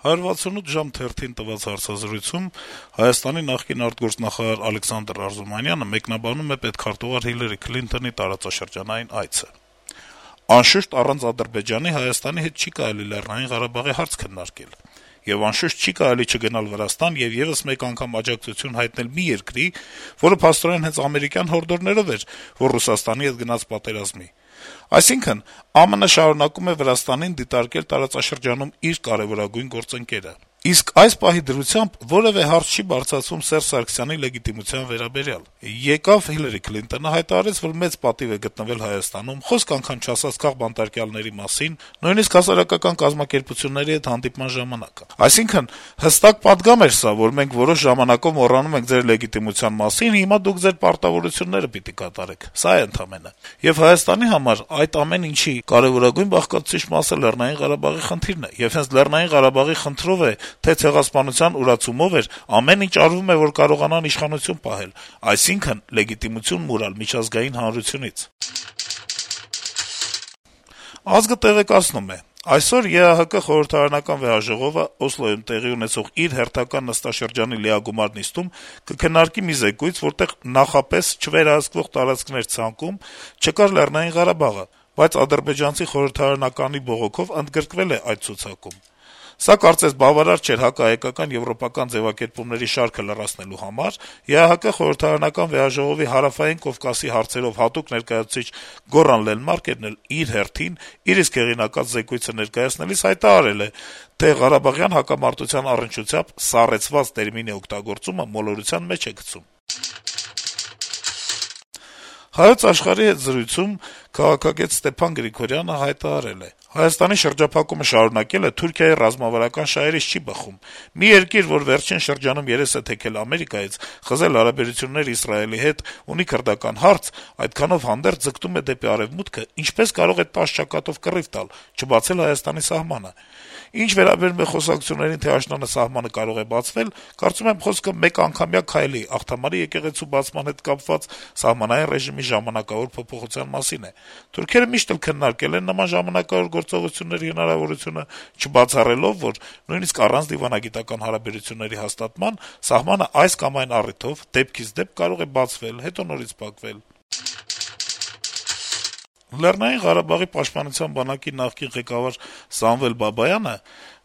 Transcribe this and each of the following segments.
168 ժամ թերթին տված հարցազրույցում Հայաստանի նախկին արտգործնախարար Ալեքսանդր Արզումանյանը մեկնաբանում է պետքարտուղար Հիլարի Քլինթոնի տարածաշրջանային այցը. - «Անշուշտ, առանց Ադրբեջանի Հայաստանի հետ չի կարելի Լեռնային Ղարաբաղի հարց քննարկել: Եվ անշուշտ չի կարելի չգնալ Վրաստան եւ եւս մեկ անգամ աջակցություն հայտնել մի երկրի, որը փաստորեն հենց ամերիկյան հորդորներով էր, որ Ռուսաստանի հետ գնաց պատերազմի: Այսինքն, ԱՄՆ շարունակում է Վրաստանին դիտարկել տարածաշրջանում իր կարեւորագույն գործընկերը: Իսկ այս պահի դրությամբ որեւէ հարց չի բարձրացվում Սերժ Սարգսյանի լեգիտիմության վերաբերյալ: Եկավ Հիլարի Քլինթոնը, հայտարարեց, որ մեծ պատիվ է գտնվել Հայաստանում, խոսք անգամ չասաց քաղբանտարկյալների մասին, նույնիսկ հասարակական կազմակերպությունների հետ հանդիպման ժամանակ: Այսինքն, հստակ պատգամ էր սա, որ մենք որոշ ժամանակով մոռանում ենք ձեր լեգիտիմության մասին, հիմա դուք ձեր պարտավորությունները պիտի կատարեք: Սա է ընդամենը: Եվ Հայաստանի համար այդ ամեն ինչի կարեւորագույն բաղկացուցիչ մասը Լեռնային Ղարաբաղի խնդիրն է, եւ հենց Լեռնային Ղարաբաղի խնդրով է, թե ցեղասպանության ուրացումով էր, ամեն ինչ արվում է, որ կարողանան իշխանություն պահել, այսինքն` լեգիտիմություն մուրալ միջազգային հանրությունից»: «Ազգ»-ը տեղեկացնում է. - «Այսօր ԵԱՀԿ խորհրդարանական վեհաժողովը Օսլոյում տեղի ունեցող իր հերթական նստաշրջանի լիագումար նիստում կքննարկի մի զեկույց, որտեղ նախապես չվերահսկվող տարածքներ ցանկում չկար Լեռնային Ղարաբաղը, բայց ադրբեջանցի խորհրդարանականի բողոքով ընդգրկվել է այդ ցուցակում: Սա կարծես բավարար չէր հակահայկական եվրոպական ձեւակերպումների շարքը լրացնելու համար: ԵԱՀԿ խորհրդարանական վեհաժողովի Հարավային Կովկասի հարցերով հատուկ ներկայացուցիչ Գոռան Լենմարկերն էլ իր հերթին իր իսկ հեղինակած զեկույցը ներկայացնելիս հայտարարել է, թե ղարաբաղյան հակամարտության առնչությամբ «սառեցված» տերմինի օգտագործումը մոլորության մեջ է գցում»: «Հայոց Աշխարհ»-ի հետ զրույցում քաղաքագետ Ստեփան Գրիգորյանը հայտարարել է. - «Հայաստանի շրջափակումը շարունակելը Թուրքիայի ռազմավարական շահերից չի բխում: Մի երկիր, որ վերջին շրջանում երես է թեքել Ամերիկայից, խզել հարաբերություններ Իսրայելի հետ, ունի քրդական հարց, այդքանով հանդերձ ձգտում է դեպի Արեւմուտքը, ինչպե՞ս կարող է 10 ճակատով կռիվ տալ, չբացել Հայաստանի սահմանը: Ինչ վերաբերում է խոսակցություններին, թե աշնանը սահմանը կարող է բացվել, կարծում եմ, խոսքը մեկանգամյա քայլի, Աղթամարի եկեղեցու բացման հետ կապված սահմանային ռեժիմի ժամանակավոր փոփոխության մասին է: Թուրքերը միշտ էլ քննարկել են նման ժամանակավոր գործողությունների հնարավորությունը, չբացառելով, որ նույնիսկ առանց դիվանագիտական հարաբերությունների հաստատման սահմանը այս կամ այն առիթով դեպքից դեպք կարող է բացվել, հետո նորից փակվել»: Լեռնային Ղարաբաղի պաշտպանության բանակի նախկին ղեկավար Սամվել Բաբայանը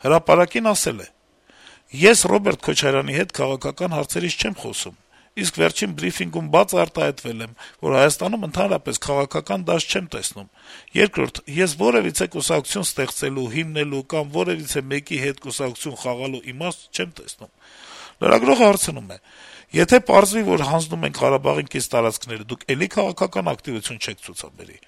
«Հրապարակ»-ին ասել է. - «Ես Ռոբերտ Քոչարյանի հետ քաղաքական հարցերից չեմ խոսում, իսկ վերջին բրիֆինգում բաց արտահայտվել եմ, որ Հայաստանում ընդհանրապես քաղաքական դաշտ չեմ տեսնում: Երկրորդ, ես որեւիցե կուսակցություն ստեղծելու, հիմնելու կամ որեւիցե մեկի հետ կուսակցություն խաղալու իմաստ չեմ տեսնում»: Լրագրողը հարցնում է. - «Եթե պարզվի, որ հանձնում ենք Ղարաբաղին կից տարածքները, դուք էլի քաղաքական ակտիվություն չեք ցուցաբերի»: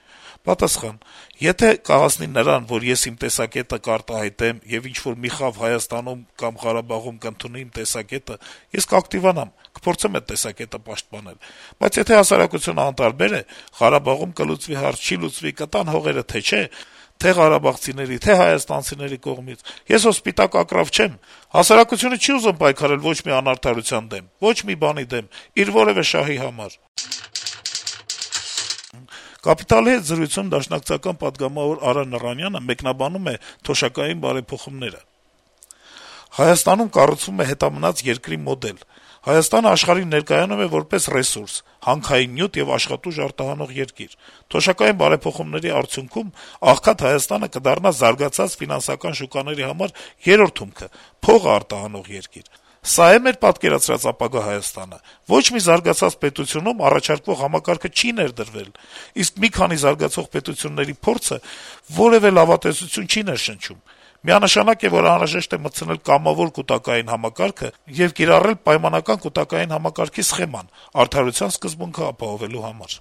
Պատասխան. - «Եթե կհասնի նրան, որ ես իմ տեսակետը կարտահայտեմ եւ ինչ-որ մի խավ Հայաստանում կամ Ղարաբաղում կընդունի իմ տեսակետը, ես կակտիվանամ, կփորձեմ այդ տեսակետը պաշտպանել: Բայց եթե հասարակությունը անտարբեր է, Ղարաբաղում կլուծվի հարց, չի լուծվի, կտան հողերը, թե չէ, թե ղարաբաղցիների, թե հայաստանցիների կողմից, ես հո սպիտակ ակռավ չեմ: Հասարակությունը չի ուզում պայքարել ոչ մի անարդարության դեմ, ոչ մի բանի դեմ, իր որեւէ շահի համար»: «Կապիտալ»-ի հետ զրույցում դաշնակցական պատգամավոր Արա Նռանյանը մեկնաբանում է թոշակային բարեփոխումները. - «Հայաստանում կառուցվում է հետամնաց երկրի մոդել: Հայաստանը աշխարհին ներկայանում է որպես ռեսուրս, հանքային նյութ եւ աշխատուժ արտահանող երկիր: Թոշակային բարեփոխումների արդյունքում աղքատ Հայաստանը կդառնա զարգացած ֆինանսական շուկաների համար երրորդ հումքը, փող արտահանող երկիր: Սա՞ է մեր պատկերացրած ապագա Հայաստանը: Ոչ մի զարգացած պետությունում առաջարկվող համակարգը չի ներդրվել, իսկ մի քանի զարգացող պետությունների փորձը որեւէ լավատեսություն չի ներշնչում: Միանշանակ է, որ անհրաժեշտ է մտցնել կամավոր կուտակային համակարգը եւ կիրառել պայմանական կուտակային համակարգի սխեման` արդարության սկզբունքը ապահովելու համար»: